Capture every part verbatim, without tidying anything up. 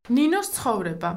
ნინოს ცხოვრება.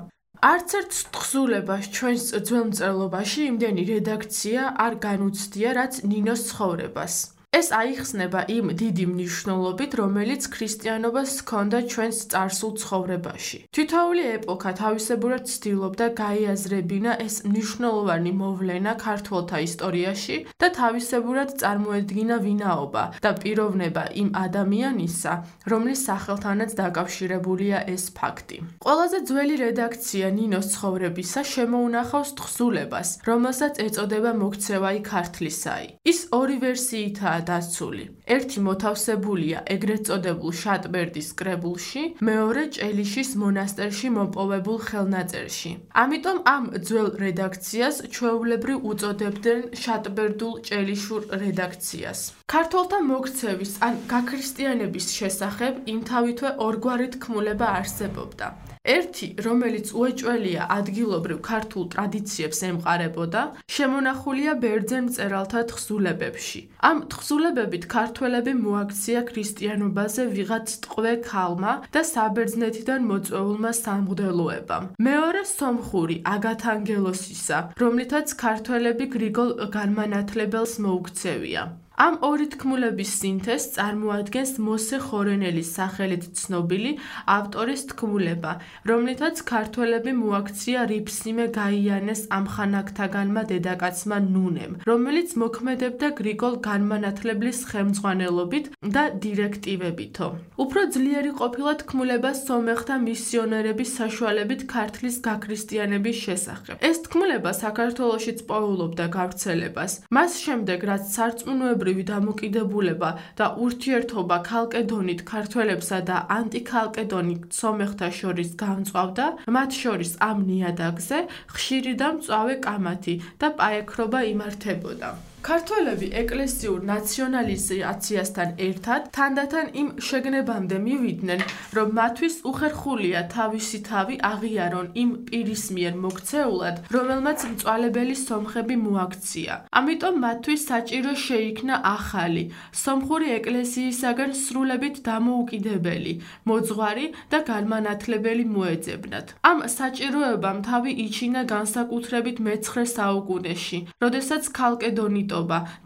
არც ერთ თხზულებას ჩვენს ძველ მწერლობაში იმდენი რედაქცია არ განუცდია, რაც ნინოს ცხოვრებას. ეს აიხსნება იმ დიდი მნიშვნელობით, რომელიც ქრისტიანობას ჰქონდა ჩვენს წარსულ ცხოვრებაში. თითოეული ეპოქა თავისებურად ცდილობდა გაიაზრებინა ეს მნიშვნელოვანი მოვლენა ქართველთა ისტორიაში და თავისებურად წარმოედგინა ვინაობა და პიროვნება იმ ადამიანისა, რომლის სახელთანაც დაკავშირებულია ეს ფაქტი. ყველაზე ძველი რედაქცია ნინოს ცხოვრებისა შემოუნახავს თხზულებას, რომელსაც ეწოდება მოქცევაი ქართლისაი. ის ორი ვერსიითაა დაცული. ერთი მოთავსებულია ეგრეთ წოდებულ შატბერდის კრებულში, მეორე ჭელიშის მონასტერში მოპოვებულ ხელნაწერში. ამიტომ ამ ძველ რედაქციას ჩვეულებრივ უწოდებდნენ შატბერდულ ჭელიშურ რედაქციას. ქართველთა მოქცევის ან გაქრისტიანების შესახებ იმთავითვე ორგვარი თქმულება არსებობდა. ერთი, რომელიც უეჭველია ადგილობრივ ქართულ ტრადიციებს ემყარებოდა, შემონახულია ბერძენ მწერალთა თხზულებებში. ამ თხზულებებით ქართველები მოაქცია ქრისტიანობაზე ვიღაც ტყვე ქალმა და საბერძნეთიდან მოწვეულმა სამღვდელოებამ. მეორე სომხური აგათანგელოსისა, რომლითაც ქართველები გრიგოლ განმანათლებელს მოუქცევია. ამ ორი თქმულების სინთეზს წარმოადგენს მოსე ხორენელის სახელით ცნობილი ავტორის თქმულება, რომლითაც ქართველები მოაქცია რიფსიმე გაიანეს ამხანაგთაგანმა დედაკაცმა ნუნემ, რომელიც მოქმედებდა გრიგოლ განმანათლებლის ხელმძღვანელობით და დირექტივებითო. უფრო ძლიერი ყოფილა თქმულება სომეხთა მისიონერების საშუალებით ქართლის გაქრისტიანების შესახებ. ეს თქმულება საქართველოშიც პოულობდა გავრცელებას. მას შემდეგ, რაც სარწმუნოებრივი დამოკიდებულება და ურთიერთობა ქალკედონით ქართველებსა და ანტიქალკედონით სომეხთა შორის გამწვავდა, მათ შორის ამ ნიადაგზე ხშირი და მწვავე კამათი და პაექრობა იმართებოდა. ქართველები ეკლესიურ ნაციონალიზაციასთან ერთად თანდათან იმ შეგნებამდე მივიდნენ, რომ მათთვის უხერხულია თავისი თავი აღიარონ იმ პირის მიერ მოქცეულად, რომელმაც მწვალებელი სომხები მოაქცია. ამიტომ მათთვის საჭირო შეიქმნა ახალი, სომხური ეკლესიისაგან სრულებით დამოუკიდებელი, მოძღვარი და განმანათლებელი მოეძებნათ. ამ საჭიროებამ თავი იჩინა განსაკუთრებით მეცხრე საუკუნეში, როდესაც ქალკედონიტობა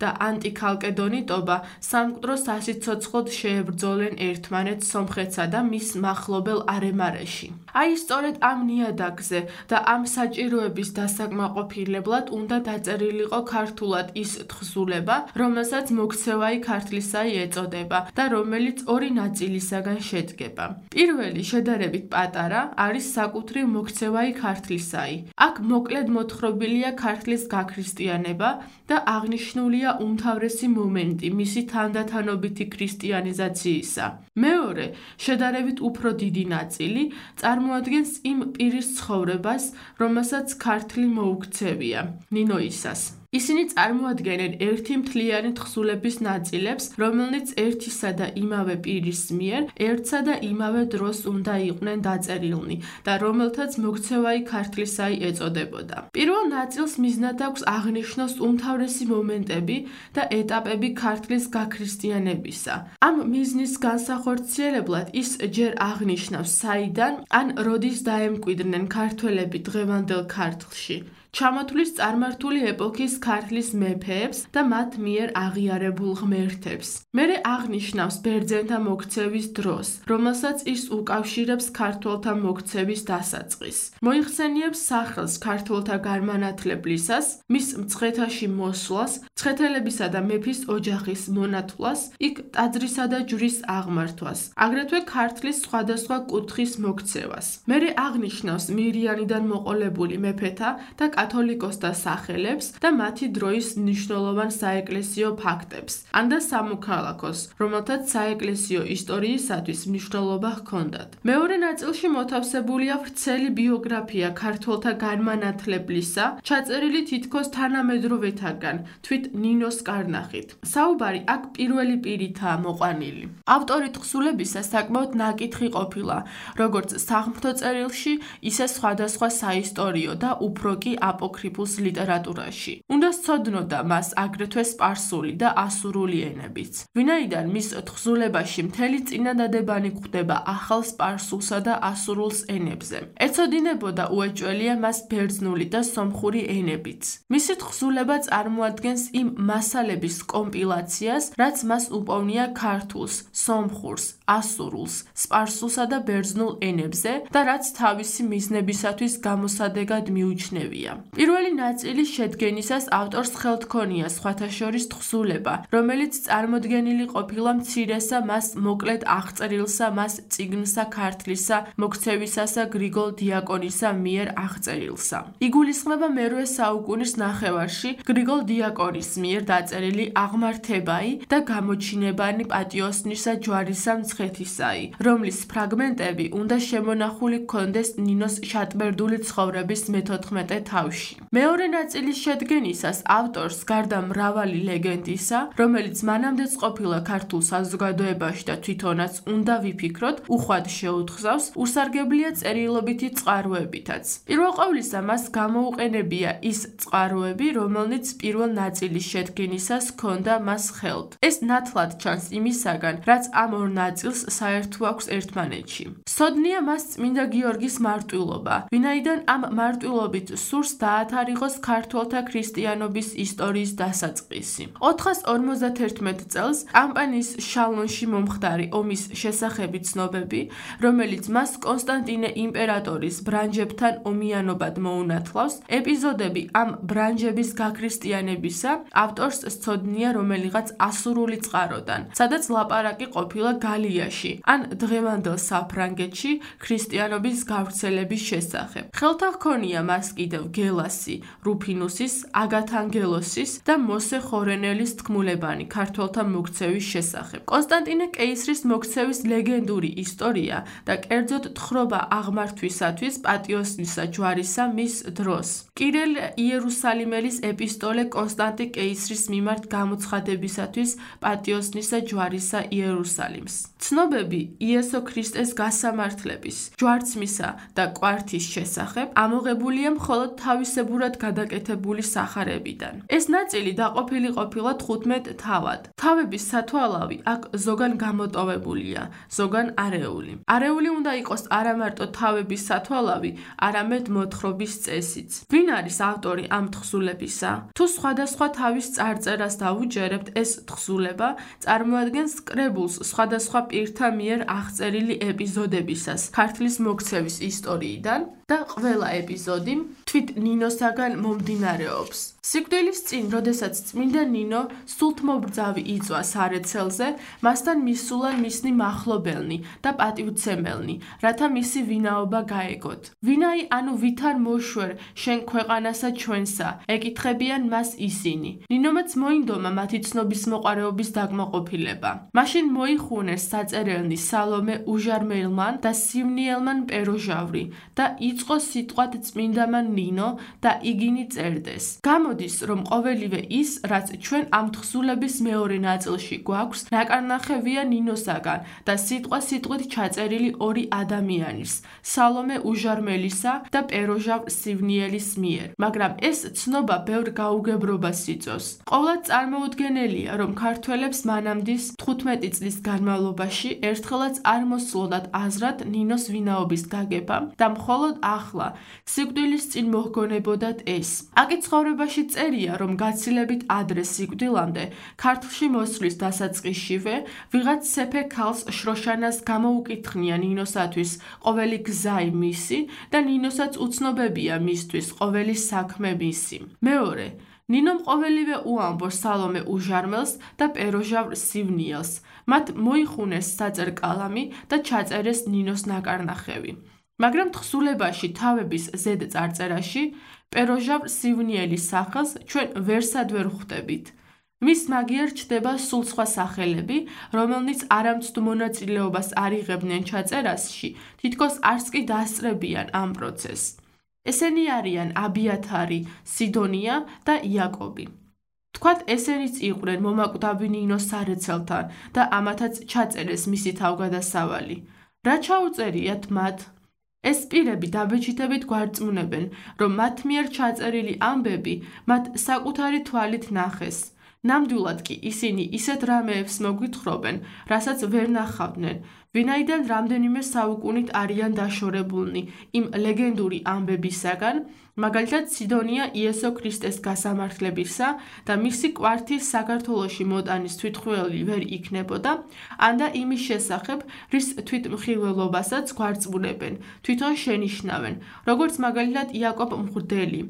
და ანტიქალკედონიტობა სამკვდრო სასიცოცხლოდ შეებრძოლენ ერთმანეთს სომხეთსა და მის მახლობელ არემარეში. აი სწორედ ამ ნიადაგზე და ამ საჭიროების დასაკმაყოფილებლად უნდა დაწერილიყო ქართულად ის თხზულება, რომელსაც მოქცევაი ქართლისაი ეწოდება და რომელიც ორი ნაწილისაგან შედგება. პირველი, შედარებით პატარა, არის საკუთრივ მოქცევაი ქართლისაი. აქ მოკლედ მოთხრობილია ქართლის გაქრისტიანება და აღნიშნულია უმთავრესი მომენტი მისი თანდათანობითი ქრისტიანიზაციისა. მეორე, შედარებით უფრო დიდი ნაწილი, წარმოადგენს იმ პირის ცხოვრებას, რომელსაც ქართლი მოუქცევია, ნინოისას. ისინი წარმოადგენენ ერთი მთლიანი თხზულების ნაწილებს, რომელნიც ერთისა და იმავე პირის მიერ ერთსა და იმავე დროს უნდა იყვნენ დაწერილნი და რომელთაც მოქცევაი ქართლისაი ეწოდებოდა. პირველ ნაწილს მიზნად აქვს აღნიშნოს უმთავრესი მომენტები და ეტაპები ქართლის გაქრისტიანებისა. ამ მიზნის განსახორციელებლად ის ჯერ აღნიშნავს, საიდან ან როდის დაემკვიდრნენ ქართველები დღევანდელ ქართლში. ჩამოთვლის წარმართული ეპოქის ქართლის მეფეებს და მათ მიერ აღიარებულ ღმერთებს. მერე აღნიშნავს ბერძენთა მოქცევის დროს, რომელსაც ის უკავშირებს ქართველთა მოქცევის დასაწყისს. მოიხსენიებს სახელს ქართველთა განმანათლებლისას, მის მცხეთაში მოსვლას, მცხეთელებისა და მეფის ოჯახის მონათვლას, იქ ტაძრისა და ჯვრის აღმართვას, აგრეთვე ქართლის სხვადასხვა კუთხის მოქცევას. მერე აღნიშნავს მირიანიდან მოყოლებული მეფეთა და კათოლიკოსთა სახელებს და მათი დროის მნიშვნელოვან საეკლესიო ფაქტებს, ან და სამოქალაქოს, რომელთაც საეკლესიო ისტორიისათვის მნიშვნელობა ჰქონდათ. მეორე ნაწილში მოთავსებულია ვრცელი ბიოგრაფია ქართველთა განმანათლებლისა, ჩაწერილი თითქოს თანამედროვეთაგან, თვით ნინოს კარნახით. საუბარი აქ პირველი პირითაა მოყვანილი. ავტორი თხზულებისა საკმაოდ ნაკითხი ყოფილა, როგორც სახმთო წერილში, ისე სხვადასხვა საისტორიო და უფრო კი აპოქრიფულს ლიტერატურაში. უნდა სცოდნოდა მას აგრეთვე სპარსული და ასურული ენებიც. ვინაიდან მის თხზულებაში მთელი წინადადებანი გვხვდება ახალ სპარსულსა და ასურულს ენებზე. ეცოდინებოდა უეჭველია მას ბერძნული და სომხური ენებიც. მისი თხზულება წარმოადგენს იმ მასალების კომპილაციას, რაც მას უპოვნია ქართულს, სომხურს, ასურულს, სპარსულსა და ბერძნულ ენებზე და რაც თავისი მიზნებისათვის გამოსადეგად მიუჩნევია. პირველი ნაწილის შედგენისას ავტორს ხელთქონია სხვათა შორის თხზულება, რომელიც წარმოდგენილი ყოფილა მცირესა მას მოკლედ აღწერილსა მას წიგნსა ქართლისა მოქცევისასა გრიგოლ დიაკონისა მიერ აღწერილსა. იგულისხმება მერვე საუკუნის ნახევარში გრიგოლ დიაკონის მიერ დაწერილი აღმართებაი და გამოჩინებანი პატიოსნისა ჯვარისა მცხეთისაი, რომლის ფრაგმენტები უნდა შემონახული ჰქონდეს ნინოს შატბერდული ცხოვრების მეთოთხმეტე თავში. მეორე ნაწილის შედგენისას ავტორს გარდა მრავალი ლეგენდისა, რომელიც მანამდეც ყოფილა ქართულ საზოგადოებაში და თვითონაც უნდა ვიფიქროთ, უხვად შეუთხზავს, უსარგებლია წერილობითი წყაროებითაც. პირველ ყოვლისა მას გამოუყენებია ის წყაროები, რომელნიც პირველ ნაწილის შედგენისას ჰქონდა მას ხელთ. ეს ნათლად ჩანს იმისაგან, რაც ამ ორ ნაწილს საერთო აქვს ერთმანეთში. სოდნია მას წმინდა გიორგის მარტვილობა, ვინაიდან ამ მარტვილობით სურს დაათარიღოს ქართველთა ქრისტიანობის ისტორიის დასაწყისი. ოთხას ორმოცდაათერთმეტ წელს კამპანიის შალონში მომხდარი ომის შესახები ცნობები, რომელიც მას კონსტანტინე იმპერატორის ბრანჯებთან ომიანობად მოუნათლავს, ეპიზოდები ამ ბრანჯების გაქრისტიანებისა ავტორს სცოდნია რომელიღაც ასურული წყაროდან, სადაც ლაპარაკი ყოფილა გალიაში ან დღევანდელ საფრანგეთში ქრისტიანობის გავრცელების შესახებ. ხელთა ჰქონია მას კიდევ გელასი, რუფინუსის, აგათანგელოსის და მოსე ხორენელის თქმულებანი ქართველთა მოქცევის შესახებ. კონსტანტინე კეისრის მოქცევის ლეგენდური ისტორია და კერძოდ თხრობა აღმართვისათვის პატიოსნისა ჯვარისა მის დროს. კირილ იერუსალიმელის ეპისტოლე კონსტანტი კეისრის მიმართ გამოცხადებისათვის პატიოსნისა ჯვარისა იერუსალიმს. ცნობები იესო ქრისტეს გასამართლების, ჯვარცმისა და კვართის შესახებ ამოღებულია მხოლოდ თავისებურად გადაკეთებული სახარებიდან. ეს ნაწილი დაყოფილი ყოფილა თხუთმეტ თავად. თავების სათვალავი აქ ზოგან გამოტოვებულია, ზოგან არეული. არეული უნდა იყოს არა მარტო თავების სათვალავი, არამედ მოთხრობის წესიც. ვინ არის ავტორი ამ თხზულებისა? თუ სხვადასხვა თავის წარწერას დავუჯერებთ, ეს თხზულება წარმოადგენს კრებულს სხვადასხვა პირთა მიერ აღწერილი ეპიზოდებისას ქართლის მოქცევის ისტორიიდან და ყველა ეპიზოდი თვით ნინოსაგან მომდინარეობს. სიკვდილის წინ, როდესაც წმინდა ნინო სულთმობრძავი იწვა სარეცელზე, მასთან მისულან მისნი მახლობელნი და პატივცემელნი, რათა მისი ვინაობა გაეგოთ. ვინაი ანუ ვითარ მოშვერ შენ ქვეყანასა ჩვენსა, ეკითხებიან მას ისინი. ნინომაც მოინდომა მათი ცნობის მოყარეობის დაკმაყოფილება. მაშინ მოიხუნეს საწერელნი სალომე უჟარმელმან და სივნიელმან პეროჟავრი და იწყო სიტყვად წმინდამან ნინო და იგინი წერდეს. გამოდის, რომ ყოველივე ის, რაც ჩვენ ამ თხზულების მეორე ნაწილში გვაქვს, ნაკარნახევია ნინოსაგან და სიტყვა სიტყვით ჩაწერილი ორი ადამიანის, სალომე უჟარმელისა და პეროჟავ სივნიელის მიერ. მაგრამ ეს ცნობა ბევრ გაუგებრობას იწვევს. ყოვლად წარმოუდგენელია, რომ ქართველებს მანამდის თხუთმეტი წლის განმავლობაში ერთხელაც არ მოსწონდათ აზრად ნინოს ვინაობის გაგება და მხოლოდ ახლა, სიკვდილის წინ მოჰგონებოდათ ეს. აკი ცხოვრებაში წერია, რომ გაცილებით ადრე სიკვდილამდე, ქართლში მოსვლის დასაწყისშივე, ვიღაც სეფე ქალს შროშანას გამოუკითხნია ნინოსათვის ყოველი გზაი მისი და ნინოსაც უცნობებია მისთვის ყოველი საქმე მისი. მეორე, ნინომ ყოველივე უამბობს სალომე უჟარმელს და პეროჟავ სივნიელს. მათ მოიხუნეს საწერკალამი და ჩაწერეს ნინოს ნაკარნახევი. მაგრამ თხზულებაში თავების ზედ წარწერაში პეროჟავ სივნიელის სახელს ჩვენ ვერსად ვერ ხვდებით. მის მაგიერ ჩდება სულ სხვა სახელები, რომელნიც არამცდ მონაწილეობას არ იღებდნენ ჩაწერაში, თითქოს არც კი დასწრებიან ამ პროცესს. ესენი არიან აბიათარი, სიდონია და იაკობი. თქვათ ესენიც იყვნენ მომაკვდავი ნინოს სარეცელთან და ამათაც ჩაწერეს მისი თავგადასავალი. რა ჩაუწერიათ მათ? ეს პირები დაბეჭდებით გვარწმუნებენ, რომ მათ მიერ ჩაწერილი ამბები მათ საკუთარი თვალით ნახეს. ნამდვილად კი ისინი ისეთ რამეებს მოგვითხრობენ, რასაც ვერ ნახავდნენ, ვინაიდან რამდენიმე საუკუნით არიან დაშორებულნი იმ ლეგენდური ამბებისაგან, მაგალითად სიდონია იესო ქრისტეს გასამართლებისა და მისი კვართის საქართველოში მოტანის თვითმხილველი ვერ იქნებოდა, ანდა იმის შესახებ, რის თვითმხილველობასაც გვარწმუნებენ, თვითონ შენიშნავენ, როგორც მაგალითად იაკობ მღვდელი.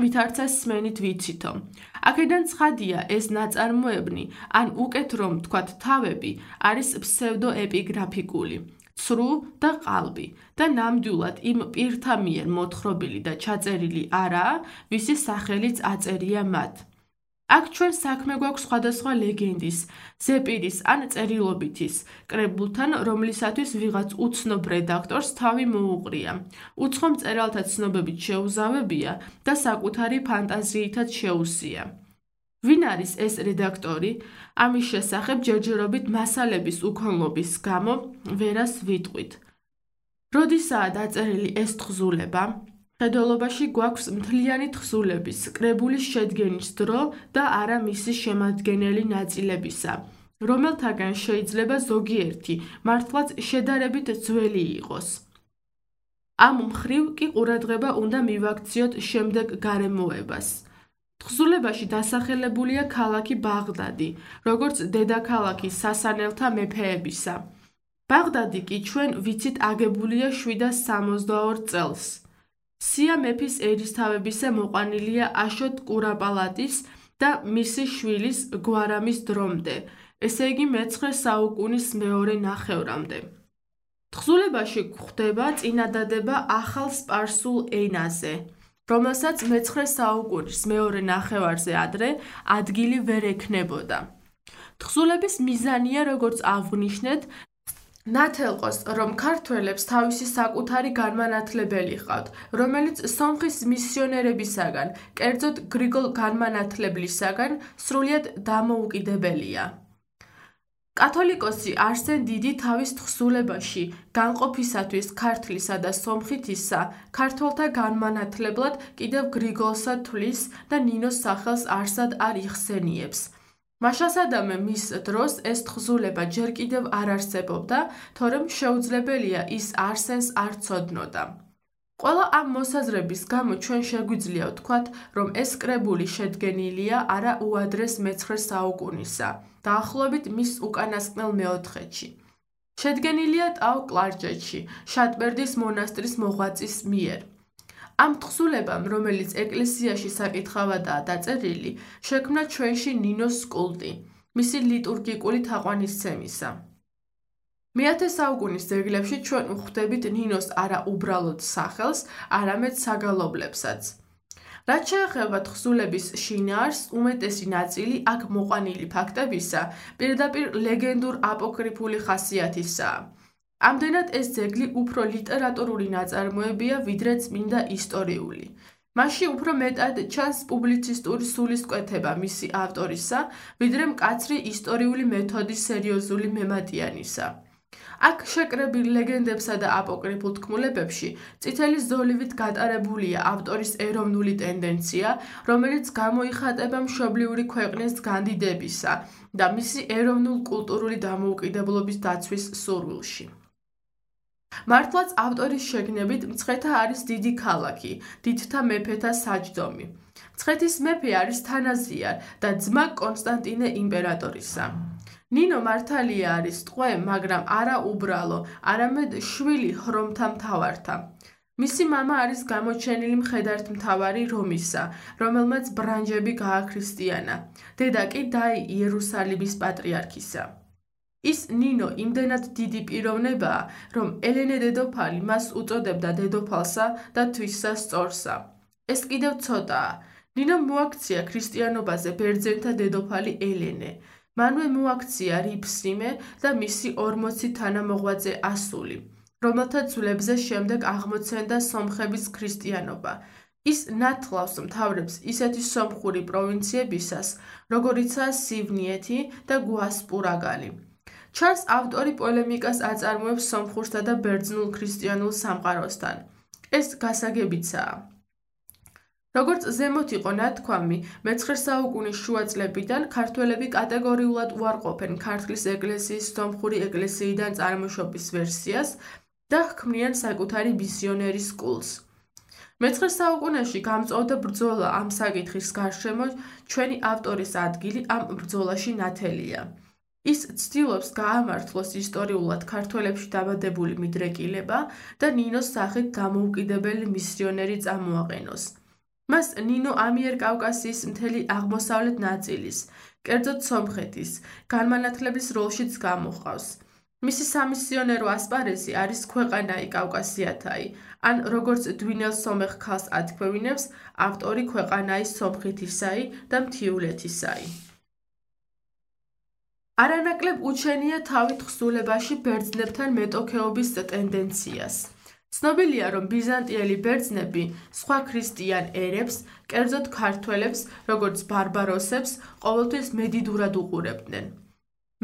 ვითარცა სმენით ვიცითო. აქედან ცხადია ეს ნაწარმოებნი, ან უკეთ რომ თქვათ თავები, არის ფსევდოეპიგრაფიკული, ცრუ და ყალბი და ნამდვილად იმ პირთა მიერ მოთხრობილი და ჩაწერილი არაა, ვისი სახელიც აწერია მათ. აქ ჩვენ საქმე გვაქვს სხვადასხვა ლეგენდის, ზეპირის ან წერილობითის კრებულთან, რომლისათვის ვიღაც უცნობ რედაქტორს თავი მოუყრია. უცხო მწერალთა ცნობებით შეუზავებია და საკუთარი ფანტაზიითაც შეუსია. ვინ არის ეს რედაქტორი? ამის შესახებ ჯერჯერობით მასალების უქონლობის გამო ვერას ვიტყვით. როდისაა დაწერილი ეს თხზულება? მხედველობაში გვაქვს მთლიანი თხზულების, კრებულის შედგენის დრო და არა მისი შემადგენელი ნაწილებისა, რომელთაგან შეიძლება ზოგიერთი მართლაც შედარებით ძველი იყოს. ამ მხრივ კი ყურადღება უნდა მივაქციოთ შემდეგ გარემოებას. თხზულებაში დასახელებულია ქალაქი ბაღდადი, როგორც დედაქალაქი სასანელთა მეფეებისა. ბაღდადი კი ჩვენ ვიცით აგებულია შვიდას სამოცდაორ წელს. სია მეფის ერისთავებისა მოყვანილია აშოტ კურაპალატის და მისი შვილის გვარამის დრომდე, ესე იგი მეცხრე საუკუნის მეორე ნახევრამდე. თხზულებაში გვხვდება წინადადება ახალ სპარსულ ენაზე, რომელსაც მეცხრე საუკუნის მეორე ნახევარზე ადრე ადგილი ვერ ექნებოდა. თხზულების მიზანია, როგორც აღვნიშნეთ, ნათელყოს, რომ ქართველებს თავისი საკუთარი განმანათლებელი ჰყავთ, რომელიც სომხის მისიონერებისაგან, კერძოდ გრიგოლ განმანათლებლისაგან სრულიად დამოუკიდებელია. კათოლიკოსი არსენ დიდი თავის თხზულებაში განყოფისათვის ქართლისა და სომხითისა ქართველთა განმანათლებლად კიდევ გრიგოლსა თვლის და ნინოს სახელს არსად არ იხსენიებს. მაშასადამე მის დროს ეს თხზულება ჯერ კიდევ არ არსებობდა, თორემ შეუძლებელია ის არსენს არ ცოდნოდა. ყველა ამ მოსაზრების გამო ჩვენ შეგვიძლია ვთქვათ, რომ ეს კრებული შედგენილია არა უადრეს მეცხრე საუკუნისა, დაახლოებით მის უკანასკნელ მეოთხედში. შედგენილია ტაო-კლარჯეთში, შატბერდის მონასტრის მოღვაწის მიერ. ამ თხზულებამ, რომელიც ეკლესიაში საკითხავადაა დაწერილი, შექმნა ჩვენში ნინოს კულტი, მისი ლიტურგიკული თაყვანისცემისა. მეათე საუკუნის ძეგლებში ჩვენ ვხვდებით ნინოს არა უბრალოდ სახელს, არამედ საგალობლებსაც. რაც შეეხება თხზულების შინაარსს, უმეტესი ნაწილი აქ მოყვანილი ფაქტებისა პირდაპირ ლეგენდურ აპოკრიფული ხასიათისაა. ამდენად ეს ძეგლი უფრო ლიტერატურული ნაწარმოებია, ვიდრე წმინდა ისტორიული. მასში უფრო მეტად ჩანს პუბლიცისტური სულისკვეთება მისი ავტორისა, ვიდრე მკაცრი ისტორიული მეთოდის სერიოზული მემატიანისა. აქ შეკრებილ ლეგენდებსა და აპოკრიფულ თქმულებებში წითელი ზოლივით გატარებულია ავტორის ეროვნული ტენდენცია, რომელიც გამოიხატება მშობლიური ქვეყნის განდიდებისა და მისი ეროვნულ-კულტურული დამოუკიდებლობის დაცვის სურვილში. მართლაც ავტორის შეგნებით მცხეთა არის დიდი ქალაქი, დიდთა მეფეთა საჯდომი. მცხეთის მეფე არის თანაზია და ძმა კონსტანტინე იმპერატორისა. ნინო მართალია არის ტყვე, მაგრამ არა უბრალო, არამედ შვილი ჰრომთა მთავართა. მისი მამა არის გამოჩენილი მხედართმთავარი რომისა, რომელმაც ბრანჯები გააქრისტიანა. დედა კი დაი იერუსალიმის პატრიარქისა. ის ნინო იმდენად დიდი პიროვნებაა, რომ ელენე დედოფალი მას უწოდებდა დედოფალსა და თვისსა სწორსა. ეს კიდევ ცოტაა. ნინომ მოაქცია ქრისტიანობაზე ბერძენთა დედოფალი ელენე. მანვე მოაქცია რიფსიმე და მისი ორმოცი თანამოღვაწე ასული, რომელთა ძვლებზე შემდეგ აღმოცენდა სომხების ქრისტიანობა. ის ნათლავს მთავრებს ისეთი სომხური პროვინციებისას, როგორიცაა სივნიეთი და გვასპურაგალი. ჩანს ავტორი პოლემიკას აწარმოებს სომხურსა და ბერძნულ ქრისტიანულ სამყაროსთან. ეს გასაგებიცაა. როგორც ზემოთ იყო ნათქვამი, მეცხრე საუკუნის შუა წლებიდან ქართველები კატეგორიულად უარყოფენ ქართლის ეკლესიის სომხური ეკლესიიდან წარმოშობის ვერსიას და ჰქმნიან საკუთარი მისიონერის კულტს. მეცხრე საუკუნეში გამწვავდა ბრძოლა ამ საკითხის გარშემო, ჩვენი ავტორის ადგილი ამ ბრძოლაში ნათელია. ის ცდილობს გაამართლოს ისტორიულად ქართველებში დაბადებული მიდრეკილება და ნინოს სახით დამოუკიდებელი მისიონერი წამოაყენოს. მას ნინო ამიერკავკასიის მთელი აღმოსავლეთ ნაწილის, კერძოდ სომხეთის, განმანათლების როლშიც გამოჰყავს. მისი სამისიონერო ასპარეზი არის ქვეყანაი კავკასიათაი, ან როგორც დვინელ სომეხ ქალს ათქვევინებს, ავტორი ქვეყანაი სომხეთისაი და მთიულეთისაი. არანაკლებ უჩენია თავი თხზულებაში ბერძნებთან მეტოქეობის ტენდენციას. ცნობილია, რომ ბიზანტიელი ბერძნები სხვა ქრისტიან ერებს, კერძოდ ქართველებს, როგორც ბარბაროსებს, ყოველთვის მედიდურად უყურებდნენ.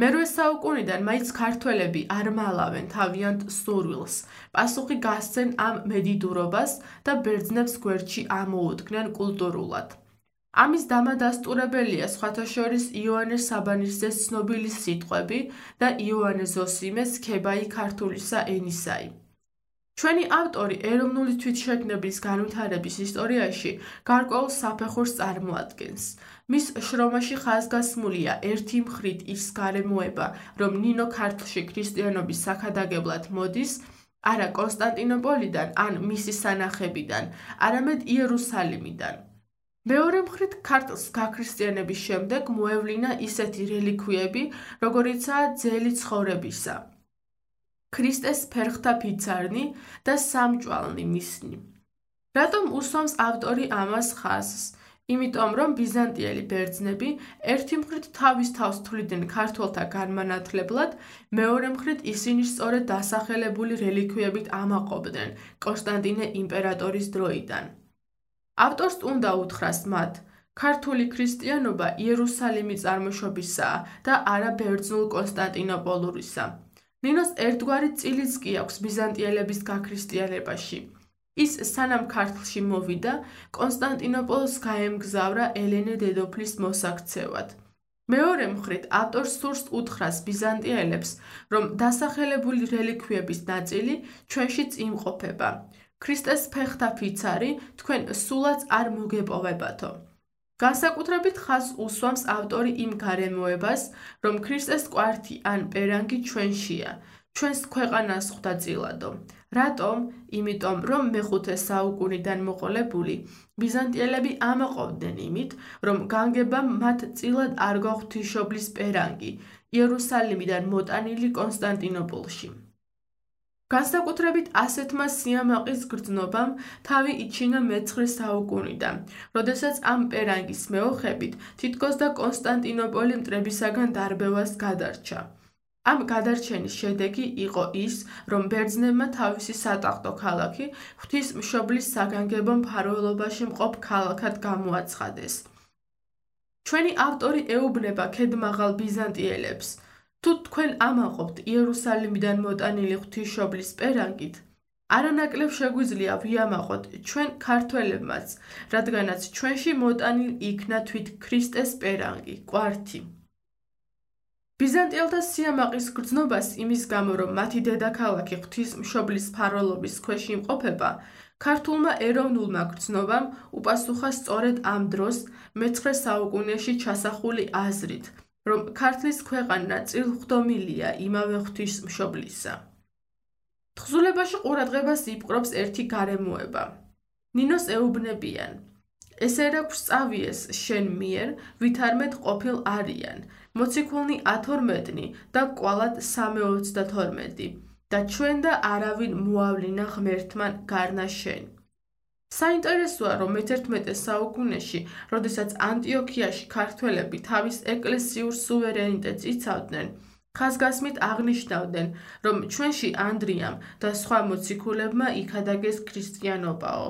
მერვე საუკუნიდან მაინც ქართველები არ მალავენ თავიანთ სურვილს, პასუხი გასცენ ამ მედიდურობას და ბერძნებს გვერდში ამოუდგნენ კულტურულად. ამის დამადასტურებელია სხვათა შორის იოანე საბანისძეს ცნობილი სიტყვები და იოანე ზოსიმეს ქებაი ქართულისა ენისაი. ჩვენი ავტორი ეროვნული თვითშეგნების განვითარების ისტორიაში გარკვეულ საფეხურს წარმოადგენს. მის შრომაში ხაზგასმულია ერთი მხრით ის გარემოება, რომ ნინო ქართლში ქრისტიანობის საქადაგებლად მოდის, არა კონსტანტინოპოლიდან ან მისი სანახებიდან, არამედ იერუსალიმიდან. მეორე მხრით ქართლს გაქრისტიანების შემდეგ მოევლინა ისეთი რელიქვიები, როგორიცაა ძელი ცხოვრებისა, ქრისტეს ფერხთა ფიცარნი და სამჭვალნი მისნი. რატომ უსვამს ავტორი ამას ხაზს? იმიტომ, რომ ბიზანტიელი ბერძნები ერთი მხრით თავის თავს თვლიდნენ ქართველთა განმანათლებლად, მეორე მხრით ისინი სწორედ დასახელებული რელიქვიებით ამაყობდნენ კონსტანტინე იმპერატორის დროიდან. ავტორს უნდა უთხრას მათ, ქართული ქრისტიანობა იერუსალიმი წარმოშობისაა და არა ბერძნულ კონსტანტინოპოლურისა. ნინოს ერთგვარი წილიც კი აქვს ბიზანტიელების გაქრისტიანებაში. ის სანამ ქართლში მოვიდა, კონსტანტინოპოლს გაემგზავრა ელენე დედოფლის მოსაქცევად. მეორე მხრით, ავტორს სურს უთხრას ბიზანტიელებს, რომ დასახელებული რელიქვიების ნაწილი ჩვენშიც იმყოფება. ქრისტეს ფეხთა ფიცარი თქვენ სულაც არ მოგეპოვებათო. განსაკუთრებით ხაზს უსვამს ავტორი იმ გარემოებას, რომ ქრისტეს კვართი ან პერანგი ჩვენშია, ჩვენს ქვეყანას ხვდა წილადო. რატომ? იმიტომ, რომ მეხუთე საუკუნიდან მოყოლებული ბიზანტიელები ამაყობდნენ იმით, რომ განგებამ მათ წილად არ გაღვთიშობლის პერანგი იერუსალიმიდან მოტანილი კონსტანტინოპოლში. განსაკუთრებით ასეთმა სიამაყის გრძნობამ თავი იჩინა მეცხრე საუკუნიდან, როდესაც ამ პერანგის მეოხებით თითქოს და კონსტანტინოპოლი მტრებისაგან დარბევას გადარჩა. ამ გადარჩენის შედეგი იყო ის, რომ ბერძნებმა თავისი სატახტო ქალაქი ღვთისმშობლის საგანგებო მფარველობაში მყოფ ქალაქად გამოაცხადეს. ჩვენი ავტორი ეუბნება ქედმაღალ ბიზანტიელებს, თუ თქვენ ამაყობთ იერუსალიმიდან მოტანილი ღვთისმშობლის პერანგით, არანაკლებ შეგვიძლია ვიამაყოთ ჩვენ ქართველებმაც, რადგანაც ჩვენში მოტანილ იქნა თვით ქრისტეს პერანგი, კვართი. ბიზანტიელთა სიამაყის გრძნობას იმის გამო, რომ მათი დედაქალაქი ღვთისმშობლის მფარველობის ქვეშ იმყოფება, ქართულმა ეროვნულმა გრძნობამ უპასუხა სწორედ ამ დროს მეცხრე საუკუნეში ჩასახული აზრით, რომ ქართლის ქვეყანა წილხვდომილია იმავე ღვთისმშობლისა. თხზულებაში ყურადღებას იპყრობს ერთი გარემოება. ნინოს ეუბნებიან, ესე რა გვსწავიეს შენ მიერ, ვითარმეთ ყოფილ არიან, მოციქულნი ათორმეტნი და კვალად სამეოცდათორმეტი და ჩვენ და არავინ მოავლინა ღმერთმან გარნა შენ. საინტერესოა, რომ მეთერთმეტე საუკუნეში, როდესაც ანტიოქიაში ქართველები თავის ეკლესიურ სუვერენიტეტს იცავდნენ, ხაზგასმით აღნიშნავდნენ, რომ ჩვენში ანდრიამ და სხვა მოციქულებმა იქადაგეს ქრისტიანობაო.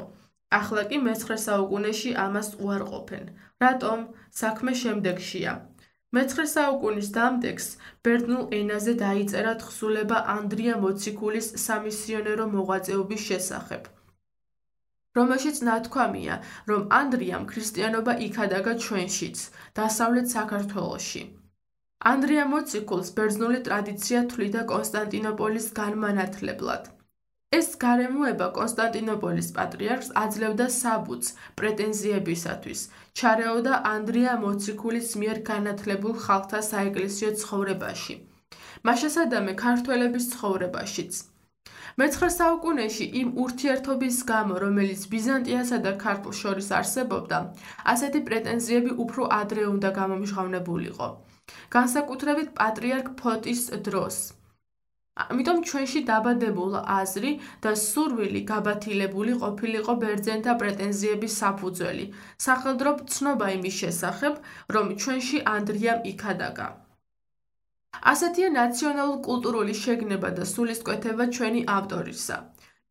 ახლა კი მეცხრე საუკუნეში ამას უარყოფენ. რატომ? საქმე შემდეგშია. მეცხრე საუკუნის დამდეგს ბერძნულ ენაზე დაიწერა თხზულება ანდრია მოციქულის სამისიონერო მოღვაწეობის შესახებ, რომელშიც ნათქვამია, რომ ანდრიამ ქრისტიანობა იქადაგა ჩვენშიც, დასავლეთ საქართველოში. ანდრია მოციქულს ბერძნული ტრადიცია თვლიდა კონსტანტინოპოლის განმანათლებლად. ეს გარემოება კონსტანტინოპოლის პატრიარქს აძლევდა საბუთს პრეტენზიებისათვის, ჩარეოდა ანდრია მოციქულის მიერ განათლებულ ხალხთა საეკლესიო ცხოვრებაში, მაშასადამე ქართველების ცხოვრებაშიც. მეცხრე საუკუნეში იმ ურთიერთობის გამო, რომელიც ბიზანტიასა და ქართლს შორის არსებობდა, ასეთი პრეტენზიები უფრო ადრე უნდა გამომჟღავნებულიყო, განსაკუთრებით პატრიარქ ფოტის დროს. ამიტომ ჩვენში დაბადებულა აზრი და სურვილი გაბათილებული ყოფილიყო ბერძენთა პრეტენზიების საფუძველი, სახელდრო ცნობა იმის შესახებ, რომ ჩვენში ანდრიამ იქადაგა. ასეთია ნაციონალურ-კულტურული შეგნება და სულისკვეთება ჩვენი ავტორისა.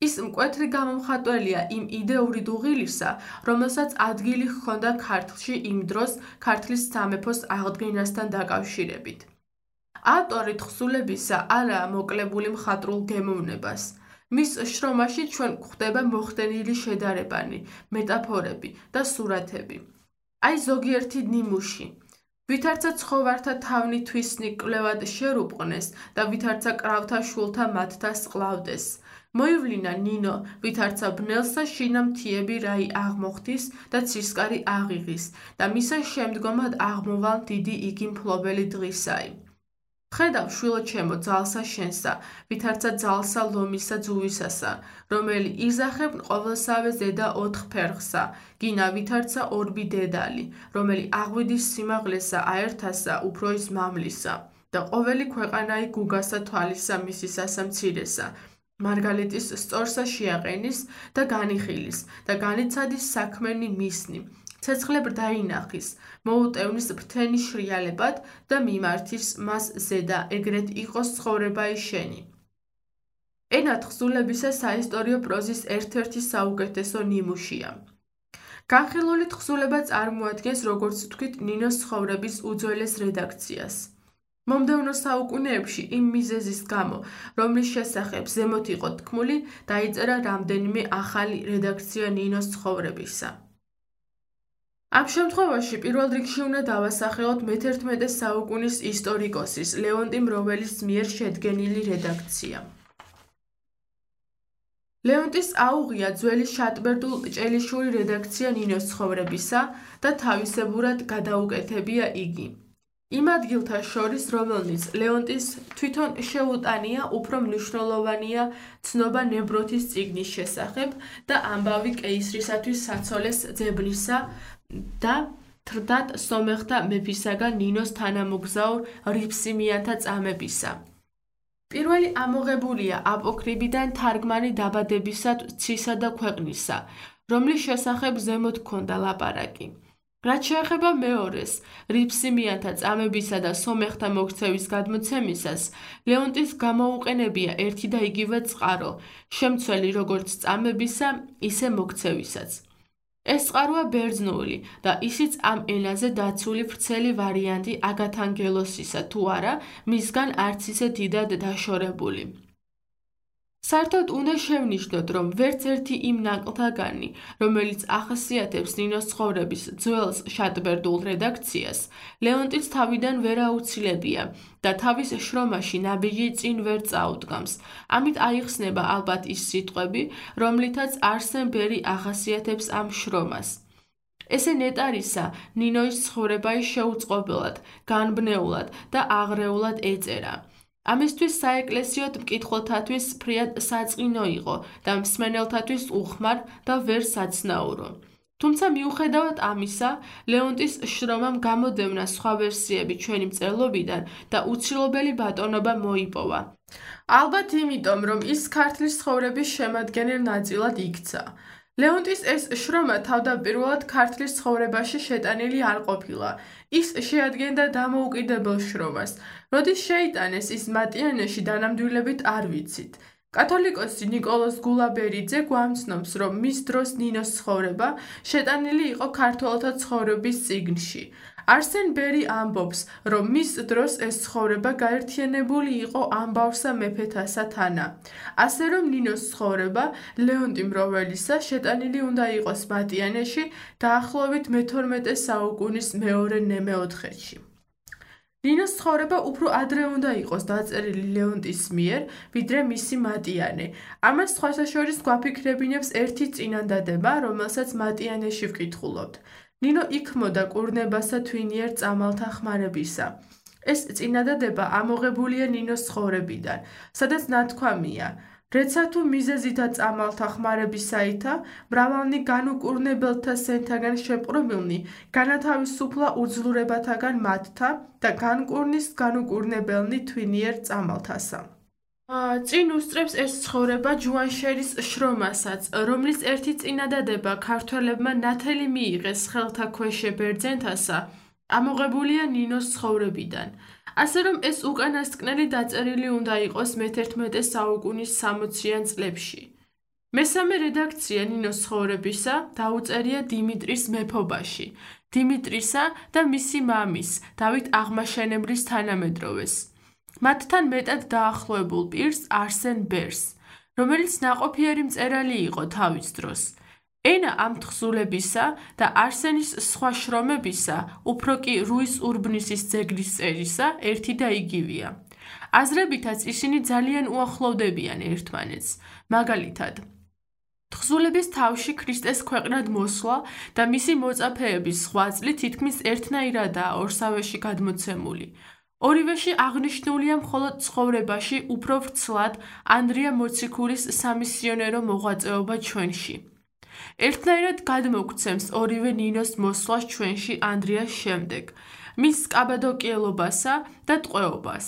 ის მკვეთრი გამომხატველია იმ იდეური დუღილისა, რომელსაც ადგილი ჰქონდა ქართლში იმ დროს ქართლის სამეფოს აღდგენასთან დაკავშირებით. ავტორი თხზულებისა არაა მოკლებული მხატვრულ გემოვნებას. მის შრომაში ჩვენ გვხვდება მოხდენილი შედარებანი, მეტაფორები და სურათები. აი ზოგიერთი ნიმუში. ვითარცა ცხოვართა თავნი თვისნი კვლევად შერუპყნეს და ვითარცა კრავთა შულთა მათთა სყლავდეს. მოივლინა ნინო, ვითარცა ბნელსა შინა მთიები რაი აღმოხდის და ცისკარი აღიღის და მისა შემდგომად აღმოვალ დიდი იგი მფლობელი დღისაი. ხედავ შვილო ჩემო ძალსა შენსა, ვითარცა ძალსა ლომისა ძუვისასა, რომელი იზახებ ყოველსავე ზედა ოთხ ფერხსა, გინა ვითარცა ორბი დედალი, რომელი აღვიდის სიმაღლესა აერთასა უფროის მამლისა და ყოველი ქვეყანაი გუგასა თვალისა მისისასა მცირესა, მარგალიტის სწორსა შეაყენის და განიხილის და განიცადის საქმენი მისნი, ცეცხლებ დაინახის, მოუტევნის ფრთენი შრიალებად და მიმართის მას ზედა, ეგრეთ იყოს ცხოვრებაი შენი. ენა თხზულებისა საისტორიო პროზის ერთ-ერთი საუკეთესო ნიმუშია. განხილული თხზულება წარმოადგენს, როგორც ვთქვით, ნინოს ცხოვრების უძველეს რედაქციას. მომდევნო საუკუნეებში იმ მიზეზის გამო, რომლის შესახებ ზემოთ იყო თქმული, დაიწერა რამდენიმე ახალი რედაქცია ნინოს ცხოვრებისა. ამ შემთხვევაში პირველ რიგში უნდა დავასახელოთ მეთერთმეტე საუკუნის ისტორიკოსის ლეონტი მროველის მიერ შედგენილი რედაქცია. ლეონტის აუღია ძველი შატბერდულ ჭელიშვილი რედაქცია ნინოს ცხოვრებისა და თავისებურად გადაუკეთებია იგი. იმ ადგილთა შორის, რომელნიც ლეონტის თვითონ შეუტანია, უფრო მნიშვნელოვანია ცნობა ნებროთის წიგნის შესახებ და ამბავი კეისრისათვის საცოლეს ძებნისა და თრდატ სომეხთა მეფისაგან ნინოს თანამოგზაურ რიფსიმიანთა წამებისა. პირველი ამოღებულია აპოქრიბიდან თარგმანი დაბადებისად ცისა და ქვეყნისა, რომლის შესახებ ზემოთ ჰქონდა ლაპარაკი. რაც შეეხება მეორეს, რიფსიმიანთა წამებისა და სომეხთა მოქცევის გადმოცემისას, ლეონტის გამოუყენებია ერთი და იგივე წყარო, შემცველი როგორც წამებისა, ისე მოქცევისაც. ეს წყაროა ბერძნული და ისიც ამ ენაზე დაცული ვრცელი ვარიანტი აგათანგელოსისა თუ არა, მისგან არც ისე დიდად დაშორებული. საერთოდ უნდა შევნიშნოთ, რომ ვერც ერთი იმ ნაკლთაგანი, რომელიც ახასიათებს ნინოს ცხოვრების ძველს შატბერდულ რედაქციას, ლეონტის თავიდან ვერ აუცილებია და თავის შრომაში ნაბიჯი წინ ვერ წაუდგამს. ამით აიხსნება ალბათ ის სიტყვები, რომლითაც არსენ ბერი ახასიათებს ამ შრომას. ესე ნეტარისა ნინოის ცხოვრებაი შეუწყობილად, განბნეულად და აღრეულად ეწერა. ამისთვის საეკლესიოდ მკითხველთათვის ფრიად საწყინო იყო და მსმენელთათვის უხმარ და ვერ საცნაურო. თუმცა მიუხედავად ამისა, ლეონტის შრომამ გამოდევნა სხვა ვერსიები ჩვენი მწერლობიდან და უცილობელი ბატონობა მოიპოვა. ალბათ იმიტომ, რომ ის ქართლის ცხოვრების შემადგენელ ნაწილად იქცა. ლეონტის ეს შრომა თავდაპირველად ქართლის ცხოვრებაში შეტანილი არ ყოფილა. ის შეადგენდა დამოუკიდებელ შრომას. როდის შეიტანეს ის მატიანეში დანამდვილებით არ ვიცით. კათოლიკოსი ნიკოლოზ გულაბერიძე გვამცნობს, რომ მის დროს ნინოს ცხოვრება შეტანილი იყო ქართველთა ცხოვრების წიგნში. არსენ ბერი ამბობს, რომ მის დროს ეს ცხოვრება გაერთიანებული იყო ამბავსა მეფეთასა თანა. ასე რომ ნინოს ცხოვრება ლეონტი მროველისა შეტანილი უნდა იყოს მატიანეში დაახლოებით მეთორმეტე საუკუნის მეორე ნემეოთხედში. ნინოს ცხოვრება უფრო ადრე უნდა იყოს დაწერილი ლეონტის მიერ, ვიდრე მისი მატიანე. ამას სხვათა შორის გვაფიქრებინებს ერთი წინადადება, რომელსაც მატიანეში ვკითხულობთ. ნინო იქმოდა კურნებასა თვინიერ წამალთა ხმარებისა. ეს წინადადება ამოღებულია ნინოს ცხოვრებიდან, სადაც ნათქვამია: რეცა თუ მიზეზითა წამალთა ხმარებისაითა, მრავალნი განუკურნებელთა სენთაგან შეპყრობილნი, განათავისუფლა უძლურებათაგან მათთა და განკურნის განუკურნებელნი თვინიერ წამალთასა. წინ უსწრებს ეს ცხოვრება ჯუანშერის შრომასაც, რომლის ერთი წინადადება ქართველებმა ნათელი მიიღეს ხელთა ქვეშე ბერძენთასა, ამოღებულია ნინოს ცხოვრებიდან. ასე რომ ეს უკანასკნელი დაწერილი უნდა იყოს მეთერთმეტე საუკუნის სამოციან წლებში. მესამე რედაქცია ნინოს ცხოვრებისა დაუწერია დიმიტრის მეფობაში, დიმიტრისა და მისი მამის, დავით აღმაშენებლის თანამედროვეს. მათთან მეტად დაახლოებულ პირს არსენ ბერს, რომელიც ნაყოფიერი მწერალი იყო თავის დროს. ენა ამ თხზულებისა და არსენის სხვა შრომებისა, უფრო კი რუის ურბნისის ძეგლის წერისა, ერთი და იგივეა. აზრებითაც ისინი ძალიან უახლოვდებიან ერთმანეთს, მაგალითად. თხზულების თავში ქრისტეს ქვეყნად მოსვლა და მისი მოწაფეების ღვაწლი თითქმის ერთნაირადაა ორსავეში გადმოცემული. ორივეში აღნიშნულია მხოლოდ ცხოვრებაში უფრო ვრცლად ანდრია მოციქულის სამისიონერო მოღვაწეობა ჩვენში. ერთნაირად გადმოგვცემს ორივე ნინოს მოსვლას ჩვენში ანდრიას შემდეგ, მის კაბადოკიელობასა და ტყვეობას.